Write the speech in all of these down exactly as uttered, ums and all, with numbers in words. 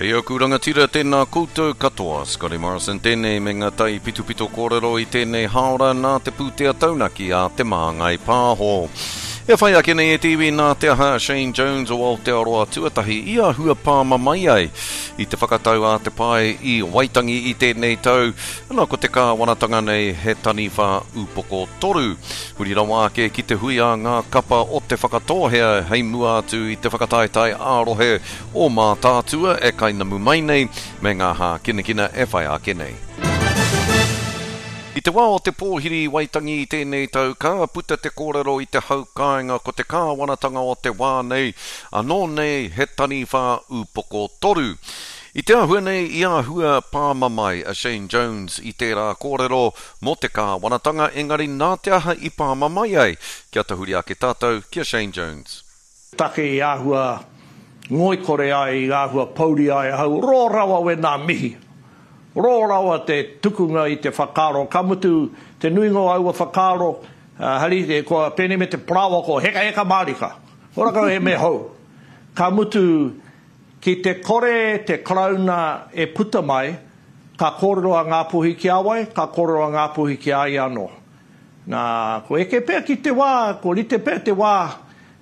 Kei aku rangatira tēnā koutou katoa. Scotty Morrison tēnei me ngā tai pitopito kōrero i tēnei hāora nā te pūtea taunaki a Te Māngai Pāho. E whai ake nei e te iwi nā te aha Shane Jones o Aotearoa tuatahi i āhua pāmamae ai i te whakatau a te pae i Waitangi i tēnei tau, ana ko te kāwanatanga nei he taniwha upoko toru. Huri rawa ake ki te hui a ngā kapa o Te Whakatōhea hei mua atu i te whakataetae ā-rohe o Mātaatua e kainamu mai nei me ngā hākinakina e whai ake nei. I te wā o te pōhiri i Waitangi i tēnei tau, ka puta te kōrero i te hau kāinga ko te kāwanatanga o te wā nei, anō nei he taniwha upoko toru. I te āhua nei i āhua pāmamae a Shane Jones i tērā kōrero mō te kāwanatanga, engari nā te aha i pāmamae ai? Kia tahuri ake tātou ki a Shane Jones. Take i āhua ngoikore ai, i āhua pouri ai ahau, rō rawa wēnā mihi. Rō rawa te tukunga i te whakaaro, ka mutu te nuinga o aua whakaaro, hari, kua pēnei me te parāoa ko hekaheka mārika, ora kau he mea hou. Ka mutu, ki te kore te Karauna e puta mai, ka kōrero a Ngāpuhi ki a wai, ka kōrero a Ngāpuhi ki a ia anō. Nā, ko eke pea ki te wā, ko rite pea te wā,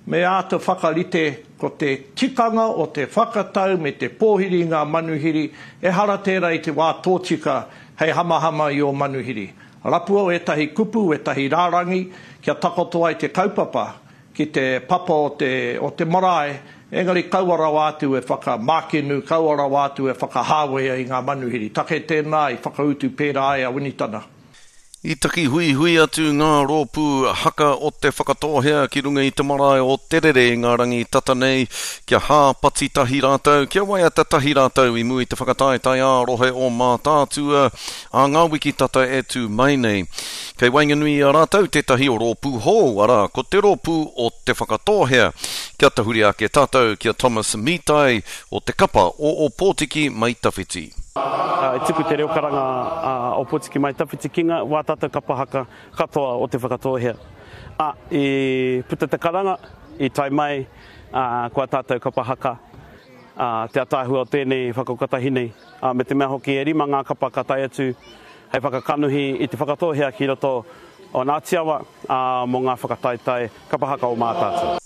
me āta whakarite ko te tikanga o te whakatau me te pōhiri i ngā manuhiri, ehara tērā i te wā tōtika hei hamahama i ō manuhiri. Rapua ētahi kupu, ētahi rārangi kia takoto ai te kaupapa ki te papa o te, o te marae, engari kaua rawa atu e whakamākenu, kaua rawa atu e whakahāwea i ngā manuhiri. Take tēnā i whakautu pērā ai a Winitana. I taki huihui atu ngā rōpū haka o Te Whakatōhea ki runga i te marae o Te Rere i ngā rangi tata nei, kia hāpati tahi rātou, kia waiata tahi rātou i mua i te whakataetae ā-rohe o Mātaatua ā ngā wiki tata e tū mai nei. Kei waenganui i a rātou tētahi rōpū hou, arā, ko te rōpū o Te Whakatōhea. Kia tahuri ake tātou ki a Thomas Mitai o te kapa o Ōpōtiki Mai Tawhiti. I tuku te reo karanga a Ōpōtiki Mai Tawhiti ki ngā wā tātou kapa haka katoa o Te Whakatōhea. Ā, i puta te karanga, i tae mai ko ā tātou kapa haka, ā, te ataahua o tēnei whakakotahi nei, ā, me te mea hoki e rima ngā kapa ka tae atu hei whakakanohi i Te Whakatōhea ki roto o Ngāti Awa, ā, mō ngā whakataetae kapa haka o Mātaatua.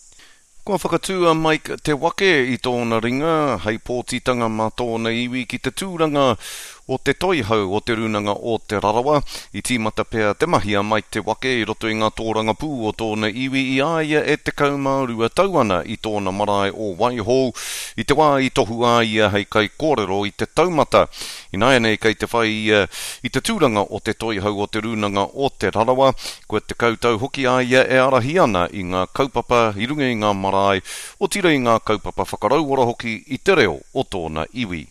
Kua whakatū a Mike Te Wake i tōna ringa hei pōtitanga mā tōna iwi ki te tūranga o te toihau o Te Rūnanga o Te Rarawa. I tīmata pea te mahi a Mike Te Wake i roto i ngā tōrangapū o tōna iwi i a ia e tekau mā rua tau ana i tōna marae o Waihou i te wā i tohua a ia hei kaikōrero i te taumata. Ināianei kei te whai ia i te tūranga o te toihau o Te Rūnanga o Te Rarawa, kua tekau tau hoki a ia e ārahi ana i ngā kaupapa i runga i ngā marae, otirā i ngā kaupapa whakarauora hoki i te reo o tōna iwi.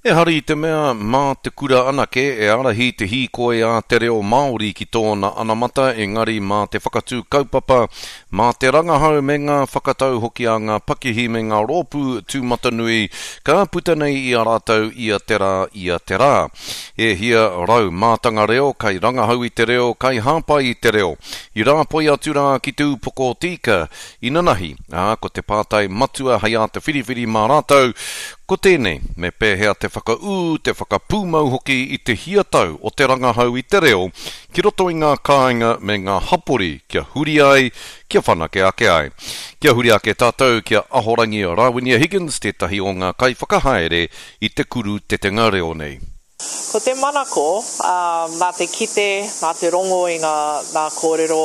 Ehara i te mea mā te kura anake e ārahi te hīkoi a te reo Māori ki tōna anamata, engari mā te whakatū kaupapa, mā te rangahau me ngā whakatau hoki a ngā pakihi me ngā rōpū tūmatanui ka puta nei i a rātou ia te rā, ia te rā. E hia rau mātanga reo, kairangahau i te reo, kaihāpai i te reo, i rāpoi atu rā ki te upoko o te ika inanahi, ā, ko te pātai matua hei āta whiriwhiri mā rātou, Ko tēnei, me pēhea te whakaū, te whakapūmau hoki i te hia tau o te rangahau i te reo ki roto i ngā kāinga me ngā hapori kia huri ai, kia whanake ake ai. Kia huri ake tātou ki a Ahorangi Rawinia Higgins, tētahi o ngā kaiwhakahaere i te kuru tetenga reo nei. Ko te manako, ā, nā te kite, nā te rongo i ngā, ngā kōrero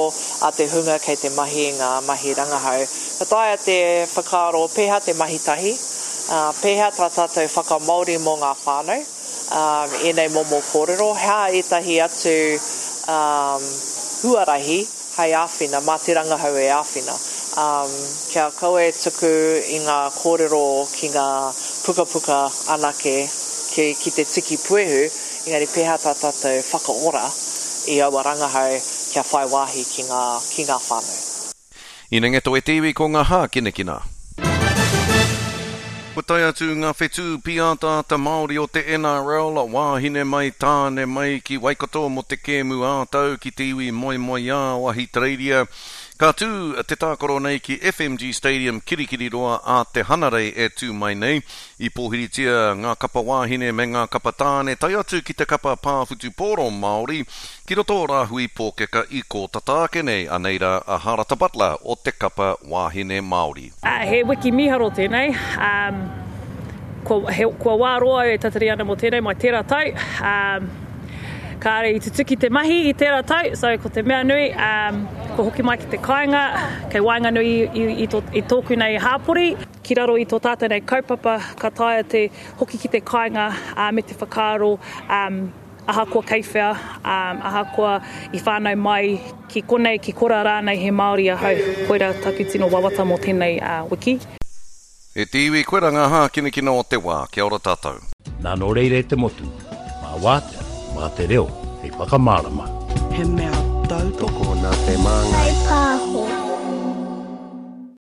a te hunga kei te mahi i ngā mahi rangahau, ka taea te whakaaro pēhea te mahi tahi, ā, pēhea tā tātou whakamāori mō ngā whānau, ā, ēnei momo kōrero, hea ētahi atu, ā, huarahi hei āwhina, mā te rangahau e āwhina, ā, kia kaua e tuku i ngā kōrero ki ngā pukapuka anake ki, ki te tiki puehu, engari pēhea tā tātou whakaora i aua rangahau kia whai wāhi ki ngā, ki ngā whānau. Inengeto e te iwi ko ngā hākinakina. Kua tae atu ngā whetū pīataata Māori o te N R L, wāhine mai, tāne mai ki Waikato mō te kēmu ā-tau ki te iwi moemoeā o Ahitereiria. Ka tū te tākaro nei ki F M G Stadium Kirikiriroa ā te Hanarei e tū mai nei. I pōhiritia ngā kapa wāhine me ngā kapa tāne tae atu ki te kapa pā whutupōro Māori ki roto o Rāhui Pōkeka i kō tata ake nei. Anei rā a Harata Butler o te kapa wāhine Māori. Uh, he wiki mīharo tēnei. Um, kua, he, kua wā roa au e tatari ana mō tēnei mai tērā tau. Um, kāre i tutuki te mahi i tērā tau, so ko te mea nui, um, ko hoki mai ki te kāinga, kei waenganui i, i, i, tō, i tōku nei hāpori, ki raro i tō tātou nei kaupapa, ka taea te hoki ki te kāinga uh, me te whakaaro um, ahakoa kei whea, um, ahakoa i whānau mai ki konei, ki kora rānei he Māori ahau. Koira taku tino wawata mō tēnei uh, wiki. E te iwi, koira ngā hākinakina o te wā. Kia ora tātou. Nā nō reira e te motu, mā wātea, mā te reo, hei whakamārama. He mea tautoko Tokona te māngai. Pāho.